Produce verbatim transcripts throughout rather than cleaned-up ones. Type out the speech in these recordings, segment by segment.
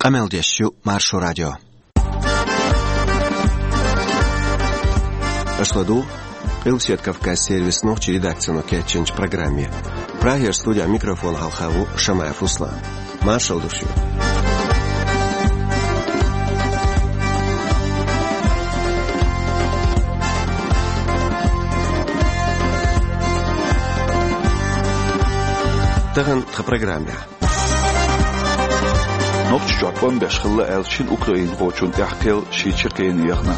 Къамел деш ю Маршо радио. Аша ладугӀу Къилбаседа Кавказан сервисан нохчийн редакцино кечйинчу программе. Прагера студехь микрофон хьалха ву Шамаев Руслан. Маршалла ду шуьга. Тахана тхан программехь. Нохчийчохь тӀом беш хилла аьлла шина украинхочунна тӀехь кхел шен чаккхенна яхна.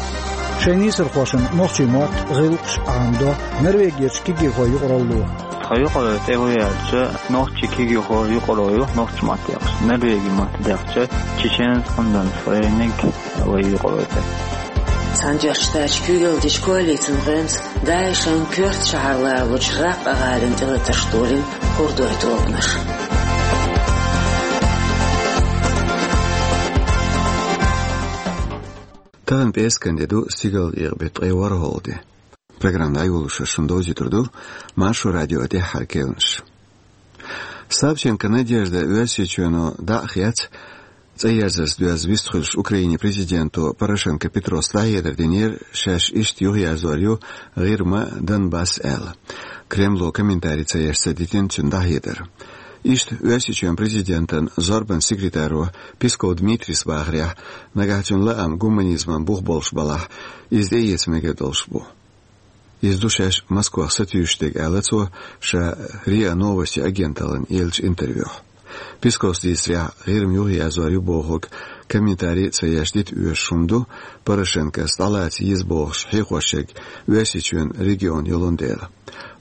Шайн нийсархошна нохчийн мотт, гӀиллакхаш Ӏамадо Норвегерчу кегийрхойн юкъаралло. Тхан юкъараллин тӀе хӀун яьлча, нохчийн кегийрхойн юкъаралло ю нохчийн мотт дехча, норвегийн мотт дехча, Чеченец Ундонсфоренинг вай юкъараллин тӀе. Цхьаьнатоьхначу Штаташкахь куьйгалла дечу коалицин гӀоьнца ДАИШан коьрта шахьар ларалучу Раккъа гӀалина тӀелатарш долийна курдойн тобанаш. Тахана пӀераскан де ду, стигалара эгӀа беттан ткъе ворхӀалгӀа де. Программа дӀайолош шуна довзуьйтур ду Маршо радион тӀаьххьара керланаш. Савченко Надежда Оьрсийчоьно дӀа а хецна, цӀа ерзарца доьзна вистхуьлуш, Украинин президенто Порошенко Петрос дӀахьедар динера, шаьш иштта юхаерзор ю ГӀирма, Донбасс аьлла. Кремло комментари ца еш ца дитина цуьнан дӀахьедар. Иштта Оьрсийчоьнан президентан зорбанан секретаро Песков Дмитрийс бахарехь, нагахь цуьнан лаам гуманизман бух болуш балахь, иза тӀеэца мегар долуш бу. Иза ду шаьш Москох сатуьйсуш дерг, аьлла цо ша РИА Новости агенталлина еллачу интервьюхь. Песковс дийцарехь, ГӀирма юхаерзор ю бохург комментари а ца еш дита оьшуш хӀума ду, Порошенкос дӀалаца еза бохуш хьехош ерг Оьрсийчоьнан регион йолун дела.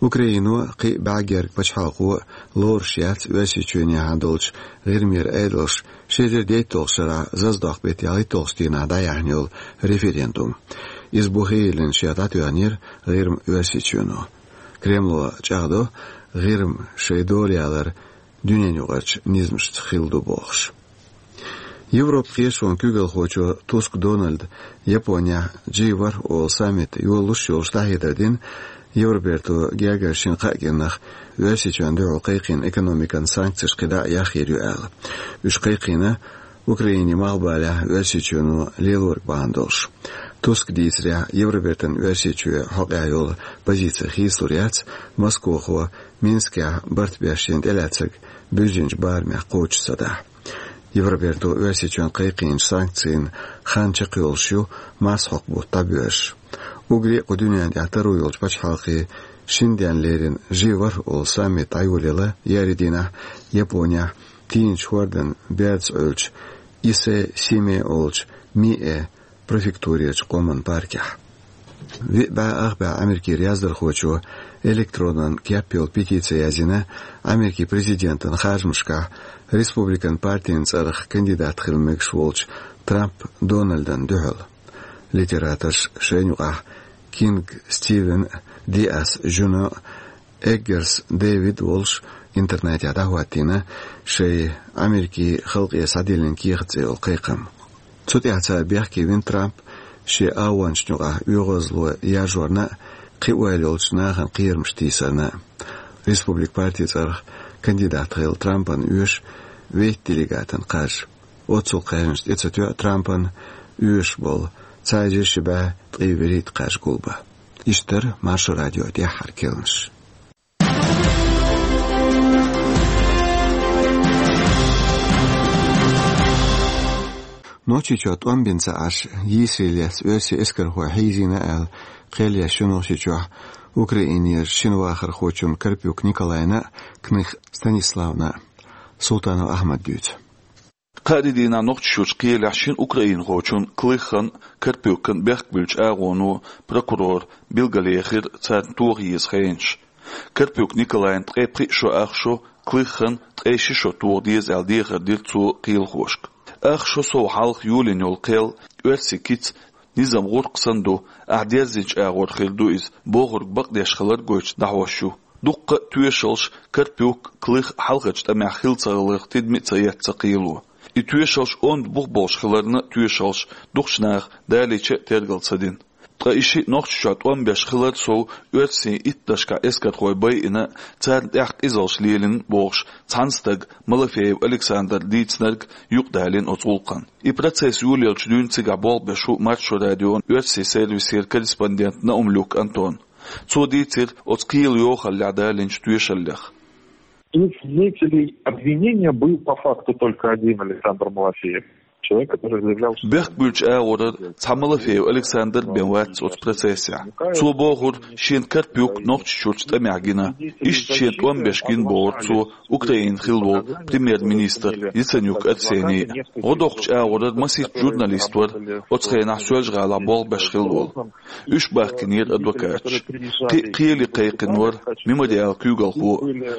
Украино, кхин а бӀаьргех пачхьалкхо лоруш яц Оьрсийчоьнехьа долчу ГӀирмера Ӏедалш ши эзар дейтталгӀачу шарахь заздоккху беттан ялхитталгӀачу дийнахь дӀаяьхьна йолу референдум. Иза бухе йиллина шех дӀатоьхнера ГӀирма Оьрсийчоьно. Кремло чӀагӀдо, ГӀирма шайн дола ялар дуьненаюкъарчу низамашца хилла ду бохуш. Европан кхеташонан куьйгалхочо Туск Дональда Японехь джи ворхӀ олу саммит йолуш йолуш дӀахьедар дина, Евроберто гергара шина-кхаа кӀирнах Оьрсийчоьнна дуьхьал кхайкхийна экономикан санкцеш кхин дӀа а яхйийр ю аьлла. Уьш кхайкхийна Украинин малхбалехь Оьрсийчоьно лелориг бахьана долуш. Тускан дийцарехь, Евробертан Оьрсийчоь хьокъехь йолу позици хийцалур яц, Москохо Минскехь барт беш шена тӀелаьцнарг буьззинчу барамех кхочуш ца дахь. Евроберто Оьрсийчоьнна кхайкхийначу санкцийн хан чекхйолуш ю, марсхьокху бутт дӀабоьрзуш. Уггаре а кху дуьненна тӀехь таро йолчу пачхьалкхийн шина денна леррина джи ворхӀ олу саммит дӀайолаелла еарин дийнахь Японехь, тийначу хӀордан бердаца Ӏуьллучу Исэ-Симе олучу Миэ префектурерчу къоман паркехь. Виъ бӀе ах бӀе Америкера яздархочо электронан кеп йолу петици язйина Америкин президентан харжамашкахь республикан партин цӀарах кандидат хила мегаш волчу Трамп Дональдана дуьхьал. Литераторша шайна юкъахь Кинг Стивен, Диас Жуно, Эггерс Дэвид волуш интернетехь дӀахӀоттийна шайн «Америкин халкъе схьадиллина кехат» цӀе йолу кхайкхам. Цу тӀехь цара бехке вина Трамп шен агӀончашна юкъахь оьгӀазло яржорна а, кхин ойла йолчу нахана кхерамаш тийсарна а. Республикан партин цӀарах кандидат хилла Трампана оьшу вейтта делегатан кхаж. Оццул кхаьжнаш тӀе ца тоьа Трампана оьшуш болу цхьа эзар ши бӀе ткъе вуьрхӀитта кхаж гулбан. Иштта дара Маршо радион тӀаьххьара керланаш. Нохчийчохь тӀом бина ца Ӏаш, йийсаре лаьцна оьрсийн эскархой хьийзийна аьлла, кхел еш ю Нохчийчохь Украинера шина вахархочунна Карпюк Николайна а, Кных Станиславна а. Султанов Ахьмада дуьйцу. Кхаарин дийнахь Нохчийчуьрчу кхелехь шина украинхочун, Клыхан а, Карпюкан а бехк буьллучу агӀоно прокурора билгалъяхира царна тоха еза хенаш. Карпюк Николайна ткъе пхиъ шо ах шо, Клыхан ткъе ши шо тоха деза аьлла дехар дира цо кхелахошка. Ах шо сов хьалха йолийна йолу кхел оьрсийн кица низам гӀуркх санна ду, ахь дерзинчу агӀор хир ду иза, бохург бакъдеш хилар гойтуш дӀахьош ю. Дуккха а тоьшаллаш Карпюк, Клых хьалхарчу тӀамехь хилла ца хиларх тидаме а ца эцна кхело. И тоьшаллаш онда бух болуш хиларна а тоьшаллаш дукхачу наха далийча а тергал ца дина. Ткъа и шиъ Нохчийчохь тӀом беш хилар сов, оьрсийн иттаннашкахь эскархой байина, царна тӀехь къизаллаш лелийна бохуш, цхьана стага, Малафеев Александра дийцинарг юкъадалийна оцу гӀуллакхана. И процесс йолаелча дуьйна цигахь болх беш ву Маршо радион оьрсийн сервисера корреспондент Наумлюк Антон. Цо дийцира оцу кхелан йохаллехь далийнчу тоьшаллех. Из свидетелей обвинения был по факту только один Александр Малафеев. Человек, который заявлял, что... Бехк буьллучу агӀорара цхьа Малафеев Александр бен вац оцу процессехь. Цо бохура, шена Карпюк Нохчийчуьрчу тӀамехь гина. Иштта шена тӀом беш гина бохура цо Украинан хилла волу премьер-министр Яценюк Арсений. ГӀо доккхучу агӀорара масийтта журналист вара, оцу хенахь Соьлжа-ГӀалахь болх беш хилла волу. Уьш бахкийнера адвокаташ. Кхин а кхеле кхайкхина вара Мемориалан куьйгалхо.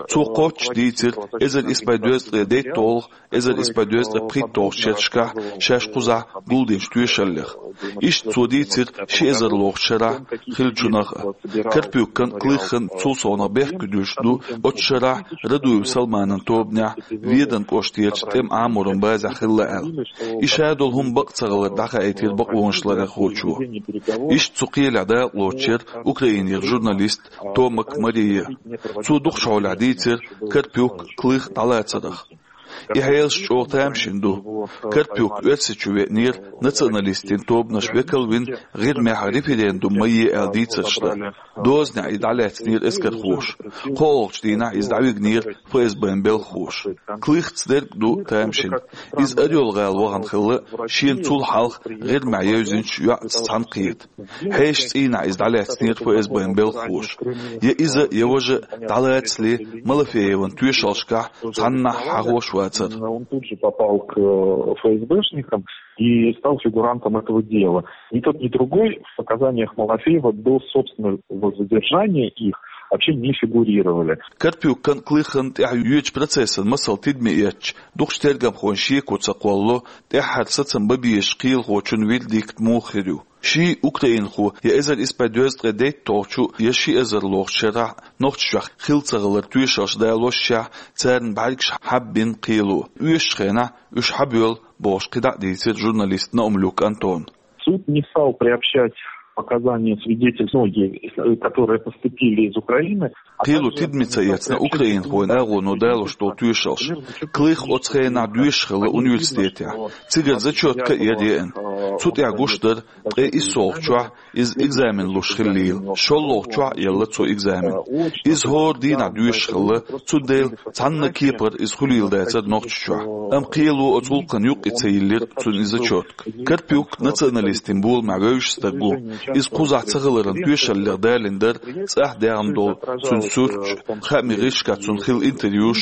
Цо кхоччуш дийцира эзар исс бӀе дезткъе дейтталгӀа, эзар исс бӀе дезткъе пхийтталгӀачу шерашкахь шаьш кхузахь гулдинчу тоьшаллех. Иштта цо дийцира ши эзарлгӀачу шарахь хиллачунах а. Карпюкан а, Клыхан а цул совнах бехк буьллуш ду оцу шарахь Радуев Салманан тобанехь Веданан кӀоштерчу тӀеман Ӏаморан базехь хилла аьлла. И ша долу хӀума бакъ ца хилар дӀахаийтира бакъонашларъярхочо. Иштта цу кхелехь дакъалоцуш яра Украинера журналист Томак Мария. Цо дукхачу хьолехь дийцира Карпюк, Клых дӀалацарах. И хьелаш чӀогӀа тамашийна ду. Карпюк Оьрсийчу веанера, националистийн тобанаш векал вина, ГӀирмехь референдум ма е аьлла дийцарш дан. Дозанехь и дӀалаьцнера эскархоша. КхоалгӀачу дийнахь иза дӀавигнера ФСБ-н белхахоша. Клыхца дерг а ду тамашийна. Иза Орёл-гӀала вахана хилла, шена цул хьалха ГӀирмехь евзинчу йоӀца цхьаьнакхета. Хьешан цӀийнахь иза дӀалаьцнера ФСБ-н белхахоша. Я иза, я важа дӀалацале Малафееван тоьшаллашкахь цхьаннахьа хьахош вацара. Он тут же попал к, э, ФСБшникам и стал фигурантом этого дела. Ни тот, ни другой в показаниях Малафеева до собственного задержания их вообще не фигурировали. Карпюкан а, Клыхан а тӀехь йоьдучу процессан масал тидаме эцча, дукхачу тергамхойн шеко ца кхоллало, тӀаьххьара сацам бан безачу кхелахочун вердикт муха хир ю. Ши украинхо я эзар исс бӀе дезткъе дейтталгӀачу, я ши эзарлгӀачу шарахь Нохчийчохь хилла ца хилар тоьшаллаш далошшехь, царна бӀаьргаш хьаббина кхело. Оьшучу хенахь уьш хьабоьллу бохуш кхидӀа а дийцира журналист Наумлюк Антона. Суд не стал приобщать показания свидетелей, многие, которые поступили из Украины. Кхело тидаме ца эцна украинхойн агӀоно далош долу тоьшаллаш. Клых оцу хенахь доьшуш хилла университетехь. Цигара зачётка а яра еана. Цу тӀехь гуш дара, ткъе иссолгӀачохь иза экзамен луш хиллийла. ШолгӀачохь а елла цо экзамен. Иза хӀора дийнахь доьшуш хилла, цундела цхьанна кепара иза хуьлийла дацара Нохчийчохь. Амма кхело оцу гӀуллакхана юккъе ца йиллира цунна и зачётка. Карпюк националистийн боламехь вевзаш стаг ву. Иза кхузахь ца хиларан тоьшаллех далийна дара цӀахь даьхна долу цуьнан суьрташ, хаамийн гӀирсашкахь цунна хилла интервьюш,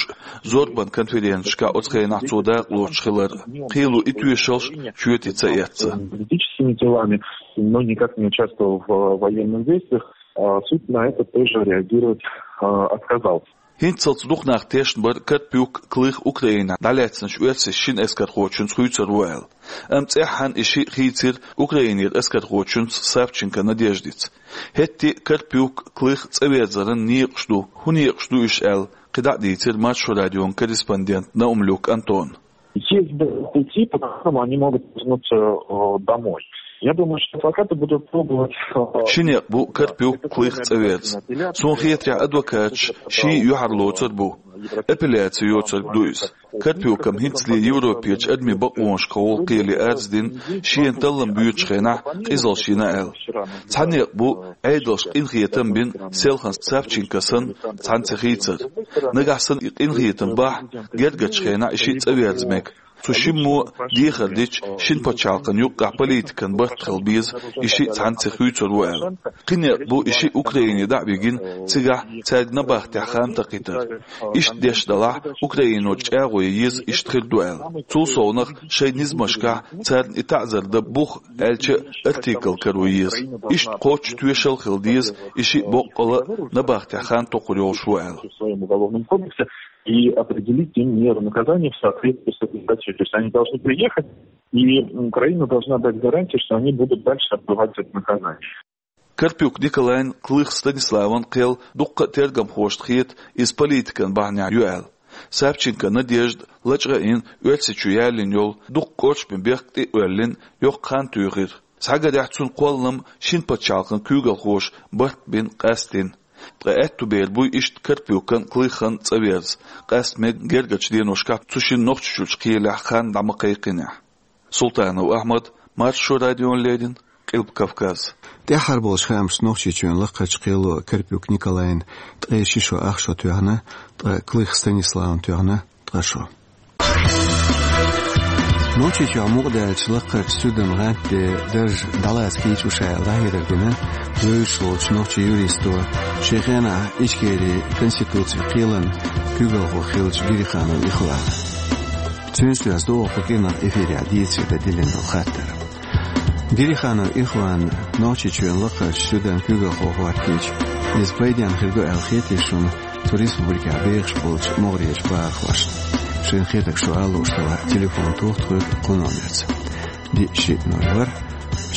зорбанан конференцешкахь оцу хенахь цо дакъалоцуш хилар. Кхело и тоьшаллаш чоьте ца эцна. Политическими делами, но никак не участвовал в, э, военных действиях. А суд на это тоже реагировать, э, отказался. ХӀинццалц дукха нах тешна бара Карпюк, Клых Украинехь дӀалаьцначу оьрсийн шина эскархочуьнца хуьйцур ву аьлла. Амма цӀеххьана и шиъ хийцира Украинера эскархочуьнца Савченко Надеждица. ХӀетте а Карпюк, Клых цӀа верзаран некъаш ду. ХӀун некъаш ду уьш аьлла, кхидӀа а дийцира Маршо радион корреспондент Наумлюк Антона. Съезд был пути, по которому они могут вернуться, э, домой. Я думаю, что адвокаты будут пробовать, э... Ши некъ бу Карпюк, Клых цӀа верза. Суна хетарехь, адвокаташ ший юьхьарлоцар бу. Апелляци йоцург ду иза. Карпюкам хӀинцале Европерчу адамийн бакъонашкахула кхеле арз дина, шена таллам боьдучу хенахь къизаллаш йина аьлла. Цхьа некъ бу, Ӏедалша къинхетам бина, селхана Савченко санна, цхьаьнца хийцар. Нагахь санна и къинхетам бахь, гергарчу хенахь и шиъ цӀа верза мега. Цу шиммо дехар дича, шина пачхьалкхан юккъехь политикан барт хила беза, и шиъ цхьаьнца хуьйцур ву аьлла. Кхин некъ бу и шиъ Украине дӀа а вигина, цигахь цаьрга набахтехь хан такхийтар. Иштта деш далахь, Украино чӀагӀо ян еза, иштта хир ду аьлла. Цул совнах шайн низамашкахь царна и таӀзар дан бух аьлча а артикл каро еза. Иштта кхоччуш тоьшалла хила деза, и шиъ боккъала а набахтехь хан токхур йолуш ву аьлла. В своём уголовном кодексе и определить им меру наказания в соответствии с этой статьей. То есть они должны приехать, и Украина должна дать гарантию, что они будут дальше отбывать это наказание. Карпюк Николайн, Клых Станиславан кхел дуккха а тергамхошна хета, иза политикан бахьанехь ю аьлла. Савченко Надежда лачкъа а йина, Оьрсийчу ялийна йолу дуккха кӀоршаме бехк тӀе а оьллина, йоккха хан туьйхира. Схьагарехь, цуьнан кхоллам шина пачхьалкхан куьйгалхоша барт бина къаьстина. Ткъа аьтту бер буй иштта Карпюкан а, Клыхан а цӀа верза, къаьстта мега гергарчу деношкахь цу шинна Нохчийчуьрчу кхелехь хан дӀа ма кхайкхинехь. Султанов Ахьмад, Маршо радиона леррина, Къилба Кавказ. ТӀаьххьара болчу хаамашца Нохчийчоьнан лакхарчу кхело Карпюк Николайна ткъе ши шо ах шо тоьхна, ткъа Клых Станиславна тоьхна ткъа шо. Нохчийчохь мукъадаьллачу лакхарчу суьдан гӀанта де дарж дӀалаца кийча шу аьлла дӀахьедар дина вевзаш волчу нохчийн юристо, шен хенахь Ичкерин конституцин кхелан куьйгалхо хиллачу Гириханов Ихвана. Цуьнца доьзна ду оха кху кӀиранах эфирехь дийцаре дан диллина долу хаттар. Гириханов Ихван Нохчийчоьнан лакхарчу суьдан куьйгалхо хӀоттийча, иза пайденна хир ду аьлла хетий шуна цу республикехь бехаш болчу могӀарерчу бахархошна? Шайна хетарг шу ала лууш делахь, телефон тоха тхоьга кху номерца: диъ шиъ ноль ворхӀ,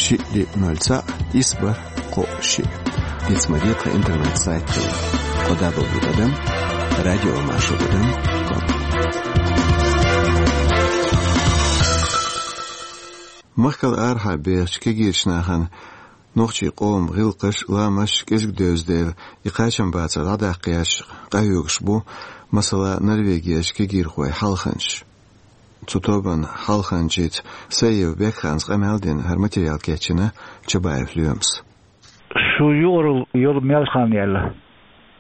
шиъ диъ ноль цхьаъ, исс бархӀ, кхоъ шиъ. Диц ма де тхан интернет-сайт хилар: кхо дабл ю тӀадам радио маршо тӀадам ком. Махкал арахьа бехачу кегийрачу нахана нохчийн къоман гӀиллакхаш а, ламасташ а кӀезиг девза дела, и кхачамбацар дӀадаккха еш къахьоьгуш бу, масала, Норвегерчу кегийрхойн хьалханчаш. Цу тобанан хьалханчица Саиев Бекханца къамел дина хӀара материал кечйина Чабаев Лоьмас. Шу юкъаралла йолу мел хан яьлла?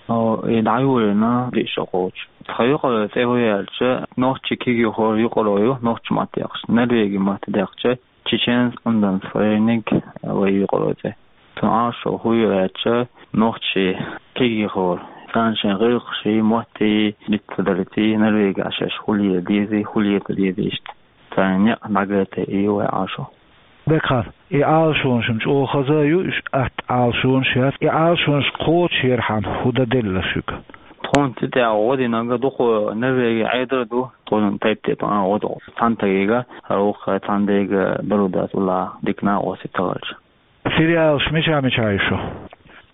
О, и дӀайолийна диъ шо кхочу. Тхан юкъараллин цӀе хӀун яьлча, нохчийн кегийрхойн юкъаралла ю, нохчийн матте дехча, норвегийн матте дехча, Чеченский Унденсфоренинг вай юкъараллин цӀе. Цуьнан Ӏалашо хӀун ю аьлча, нохчийн кегийрхой, царна шайн гӀиллакхаш а, мотт а диц ца далийта, Норвегехь шаьш хӀун леладеза, хӀун леладо деза иштта, царна некъ дӀагайта, и ю вайн Ӏалашо. Бекхан, и Ӏалашонаш-м чӀогӀа хаза а ю, уьш атта Ӏалашонаш яц. И Ӏалашонаш кхочушъярхьама хӀун дан делла шуьга? Тхуна цу тӀехь гӀо динарг дукха Норвегехь Ӏедал а ду, тхуна тайп-тайпана гӀо ду. Цхьана стагехь хӀара вукху цхьана дайга дарба дац, уллохь дика накъостий ца хилча. Филиалаш мичахь-мичахь ю шун?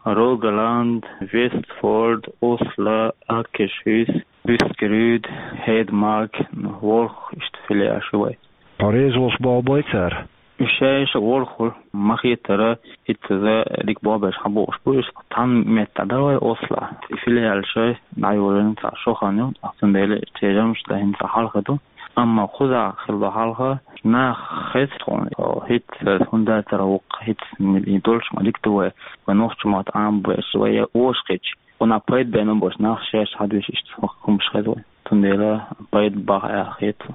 Рогаланд, Вестфорд, Осло, Акершус, Бускерюд, Хедмарк, ВорхӀ, иштта филиалаш ю вайн. Хьо реза волуш болх бой цара? Уьш шаьш а ворхӀ хуьлу, ма-хеттара, хӀинццаза дика болх беш хьабоуш бу уьш. Цхьана метта дӀадала вай Осло. И филиалаш дӀайолийна цхьа шо хан ю, цундела церан жамӀаш дан хӀинца хьалха ду. Амма кхузахь хилла хьалха нах хеза тхуна, хӀинца хӀунда цара вукху, хӀинца долуш ма дика ду вай, вай нохчийн мотт Ӏамабеш, вай я вовшахкхетча, вайна пайда бен болуш нах шаьш хьадуьйш, иштта хӀумаш хеза вай. Цундела пайда баха аьлла хета.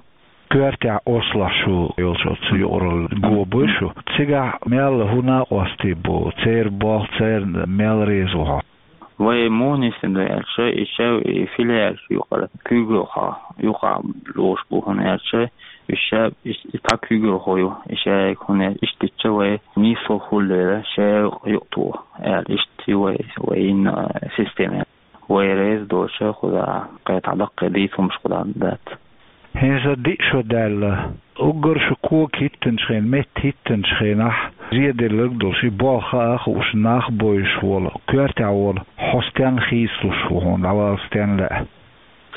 Коьртехь Ослохь шу йолчу оцу юкъаралла го буй шу? Цигахь мел хӀун накъостий бу, церан болх, церан мел реза ву хьо? Вай муха нисдина ду аьлча, и шаьш и филиалаш юкъара куьйгалхо юкъахь лоруш бу, хӀунда аьлча, и шаьш и, и цхьа куьйгалхо ю, и шаьш хӀунда аьлча, иштта дича вай нийсо хуьлу дела, шаьш юкъа тоха аьлла, иштта ю вай, вай йина система. Вай реза доцуш, кхузахь кхетахь даккхий дийца хӀумаш кхузахь дац. ХӀинца диъ шо даьлла. Уггар шу кога хӀиттинчу хенахь, метта хӀиттинчу хенахь, зеделларг долуш, и болх хаа а хууш, нах а бовзуш волу, коьртехь волу хьо стенна хийцалуш ву, хьуна дӀавала стенна лаьа?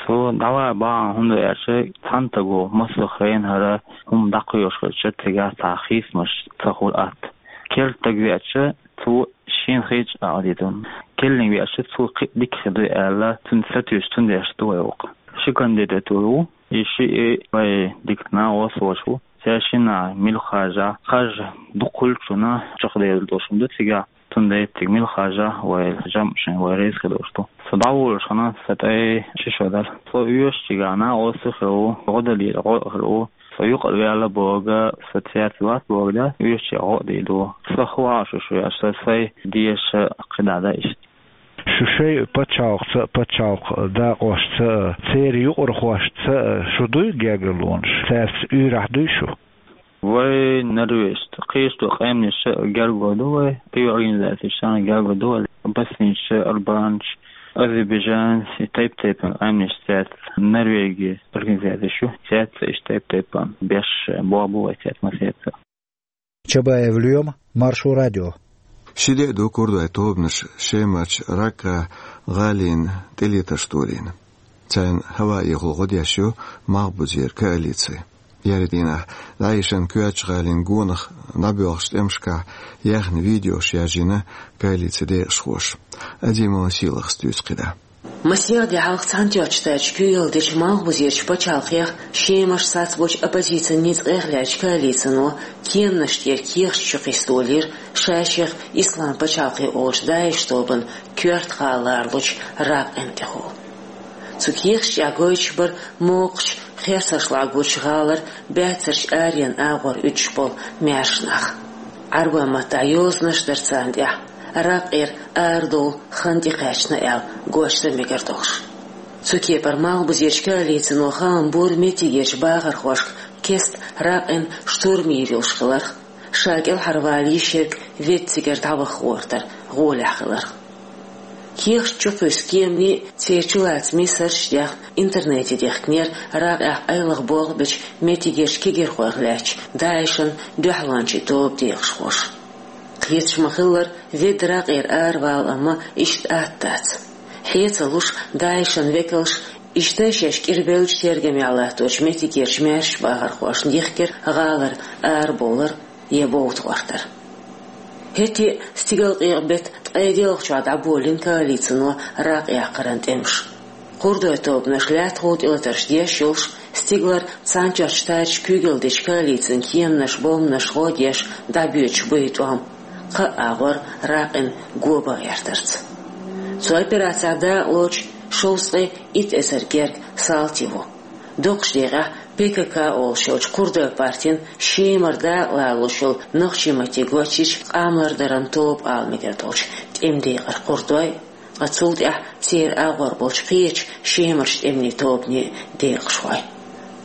Со дӀавала бахьана хӀунда аьлча, цхьана стага массо а хенахь хӀара хӀума дӀакхоьхьуш хилча, цигахь цхьа хийцамаш ца хуьлу атта. Керла стаг веача, цо шена хилча а дийр ду. Керланиг веача, цо кхин а дика хир ду аьлла, цунна сатуьйсуш, цундела ду вай вукху. Ши кандидатура ву, и шиъ вай дика накъост волуш ву. Цаьршинна мила харжа, харжа дукха хуьлучунна чекхдер долуш хӀума ду цигахь, цундела цига мила харжа вай жамӀ шайн вай реза хир долуш ду. Со дӀаволуш хана сан тӀе ши шо дара. Со оьшучигахь накъостий хир ву, гӀо далийра гӀо а хир ву. Со юкъара ваьлла бохург, со цаьрца вац бохург дац, оьшучу гӀо а дийр ду. Сан хӀун Ӏалашо ю аьлча, сан сайн деша кхидӀа дан иштта. Шу шайн пачхьалкхца а, пачхьалкхан дакъошца а, церан юкъархошца а шу дуй гергарлонаш? Цаьрца уьйрахь дуй шу? Вай норвежцаш, кхечу къаьмнашца а гергарло ду вай, кхечу организацешца а гергарло ду вай, боснийцаш, албанцаш, азербайджанцаш, и тайп-тайпана къаьмнаш цаьрца, Норвегин организацеш ю, цаьрца иштта тайп-тайпана беш болх бу вай цаьрца массаьрца. Чабаев Лоьма, Маршо радио. Ши де а ду курдойн тобанаш Шемарчу, Раккара, ГӀалина тӀелетарш толийна. Царна хӀаваэхула гӀо деш ю Малхбузера коалици. Еарин дийнахь ДАИШ-ан Коьртачу-ГӀалин гонах дӀабоьлхучу тӀемашкахь яьхна видеош яржийна коалицин декъашхоша. Азимова Сийлахьас дуьйцу кхидӀа. Масех де хьалха Цхьаьнатоьхначу Штаташ куьйгалла дечу Малхбузерчу пачхьалкхех Шемарчу цхьацца болчу оппозицин ницкъех лаьттачу коалицино кеманаш тӀера кехаташ чу кхиссадолийра, ша-шех Ислам пачхьалкх олучу ДАИШ тобанан коьрта гӀала лоруш Ракъин тӀехула. Цу кехаташ тӀехь гойтуш бара мокхачу херсаршкахь гучу гӀалара баьццарчу аренан агӀор уьдуш болу маьрша нах. Ӏарбойн маттахь йозанаш дара царна тӀехь, Ракъера арадовла хан тӀекхаьчна аьлла, гочдан мегар долуш. Цу кепара Малхбузерчу коалицино хаам бора меттигерчу бахархошка кеста Ракъин штурм йийр йолуш хиларх, ша кӀелхьарвала йиш ерг ведда цигара дӀаваха гӀортар гӀолехь хиларх. Кехаташ чу кхуьссу кеманийн, церан чулацамийн сурташ тӀехь интернете дихкинера Ракъехь къайлаха болх бечу меттигерчу кегийрхойх лаьттачу ДАИШ-ан дуьхьалончийн тобан декъашхоша. Кхеташ ма-хиллара, ведда Ракъера аравала, амма иштта атта дац. Хье ца луш, ДАИШ-ан векалша иштта шаьш кӀирбеллачу тергамехь латточу меттигерчу маьршачу бахархошна дихкира гӀалара арабовлар я бовда гӀортар. ХӀетте а стигалкъекъа беттан ткъе диъалгӀачохь дӀаболийна коалицино Ракъ яккхаран тӀемаш. Кхурдойн тобанаш лаьттахула тӀелатарш деш йолуш, стигалара Цхьаьнатоьхначу Штаташ куьйгалла дечу коалицин кеманаш, бомбанаш гӀо деш дӀабоьдуш бу и тӀом, кхаа агӀор Ракъин го бан гӀертарца. Цу операцехь дакъалоцуш шовзткъе итт эзар герга салти ву. Доккхачу декъехь ПКК олуш йолчу кхурдойн партин Шемара дакъалалуш йолу нохчийн маттиг гочйича къамелдаран тоба ала мегар долчу тӀеман декъара кхурдой, ткъа цул тӀаьхьа церан агӀор болчу кхечу Шемарчу тӀеман тобанийн декъашхой.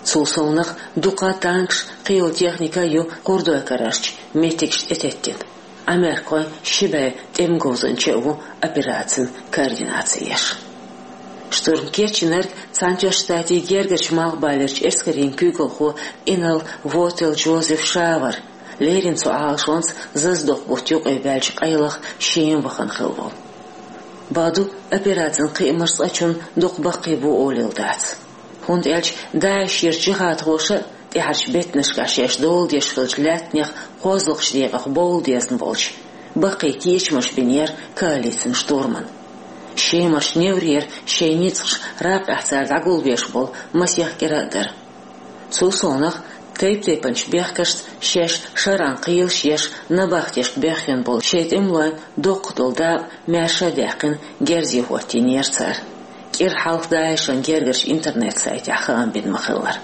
Цул совнаха дукха танкаш, кхин йолу техника а ю кхурдойн карарчу меттигашна тӀететтина. Америкахойн ши бӀе тӀеман говзанча а ву операцин координаци еш. Штурм кечйинарг Цхьаьнатоьхначу Штатийн гергарчу малхбалерчу эскарийн куьйгалхо инарла Вотел Джозеф Шавер, леррина цу Ӏалашонца зазадоккху бутт юкъе баьлча къайлаха Шема вахана хилла волу. Бакъду, операцин кхиамаш цкъачунна дукха баккхий бу олийла дац. ХӀунда аьлча ДАИШ-ерчу джихадхоша а, тӀаьхьарчу беттанашкахь шаьш дола деш хиллачу лаьттанех кхозлагӀчу декъах бовла дезна болчу, баккхий кечамаш бинера коалицин штурмана. Шемарчу неврера шайн ницкъаш Ракъехь цара дӀагулбеш болу масех кӀира а дара. Цул совнаха, тайп-тайпанчу бехкашца шаьш шарӀан кхелаш еш, набахтешка бехйина болу шайн тӀемалойн доккха долу дакъа маьрша а даьккхина, герзе хӀоттийнера цара. КӀира хьалха ДАИШ-ан гергарчу интернет-сайтехь хаам бина ма-хиллара.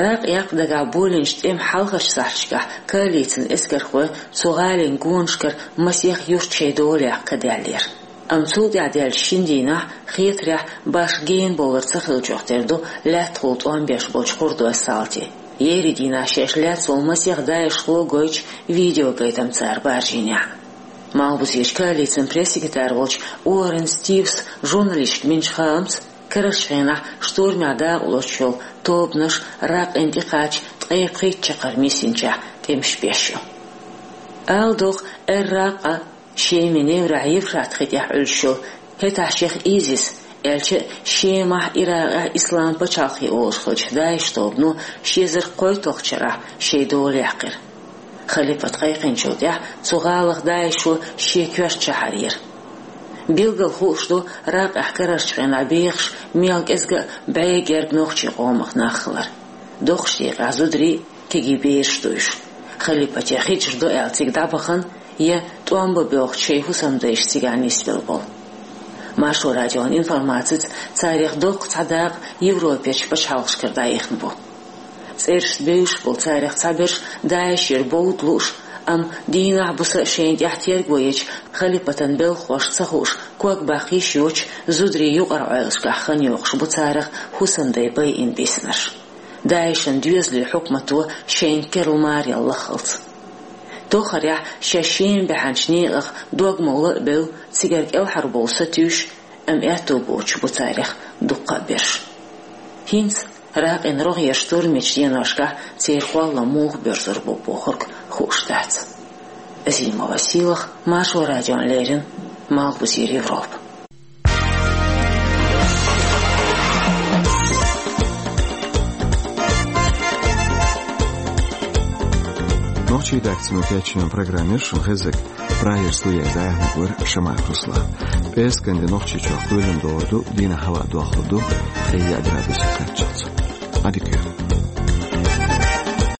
Ракъ яккха дагахь болийначу тӀеман хьалхарчу сахьташкахь коалицин эскархой цу гӀалин гонашкара масех юрт шайн дола яккха ка даьллера. Амма цул тӀаьхьа даьллачу шина дийнахь хетарехь башха генабовлар ца хиллачух тера ду лаьттахула тӀом беш болчу кхурдойн салти, еарин дийнахь шаьш лаьцна волу масех даишхо гойтучу видеогайтам цара баржийнехь. Малхбузерчу коалицин пресс-секретарь волчу Уоррен Стивс журналисташка бинчу хаамца, карарчу хенахь штурмехь дакъалоцуш йолу тобанаш Ракъин тӀекхача ткъе пхийтта чаккхарма йисинчохь тӀемаш беш ю. Ала догӀу, Эр-Ракъа, Шеман неврехь Евфрат хи тӀехь Ӏуьллуш йолу, хӀетахь шех ИЗИС, аьлча а Шемахь, Иракъехь Ислам пачхьалкх олуш хиллачу ДАИШ тобано ши эзар кхойтталгӀачу шарахь шайн дола яьккхира. Халипат кхайкхинчул тӀаьхьа цу гӀалах ДАИШо шен коьрта чу хьаьрира. Билггал хууш ду Ракъехь карарчу хенахь бехаш мел кӀезга а бӀе герга нохчийн къомах нах хилар. Доккхачу декъехь зударий, кегий бераш ду уьш. Халипате хьежар ду аьлла цига дӀабахана я тӀом бан боьлхучу шайн хӀусамдайша цигахь нисбелла болу. Маршо радион информацица, царех доккха цхьа дакъа Европерчу пачхьалкхашкара дӀаихна бу. ЦӀерашца бевзаш болу царех цхьаберш ДАИШера бовда лууш, амма дийнахь-буса шайна тӀехь терго ечу халипатан белхахошна ца хууш, ког баккха йиш йоцуш, зударийн юкъара Ӏойлашкахь хан йоккхуш бу царах хӀусамдай байина биснарш. ДАИШан доьзалийн хьукмато шайна керла марел лаххалц. Тоххарехь шаьш Шема баьхьначу некъах дог-молла а бевлла, цигара кӀелхьарбовла сатуьйсуш, амма аьтто боцуш бу царех дуккха а берш. ХӀинца Ракъин рогӀера штурмечу деношкахь церан кхоллам муха боьрзур бу бохург хууш дац. Азимова Сийлахь, Маршо радиона леррина, Малхбузера Европа. Нохчийн редакцино кечйина программера шун хеззиг. Прагера студера зӀамига вар Шамаев Руслан. ПӀераскан ди Нохчийчохь кхоьлина догӀур ду, дийнахь хӀаваъ дохлур ду, ткъе яа градус кхаччалц. Ӏадика йойла.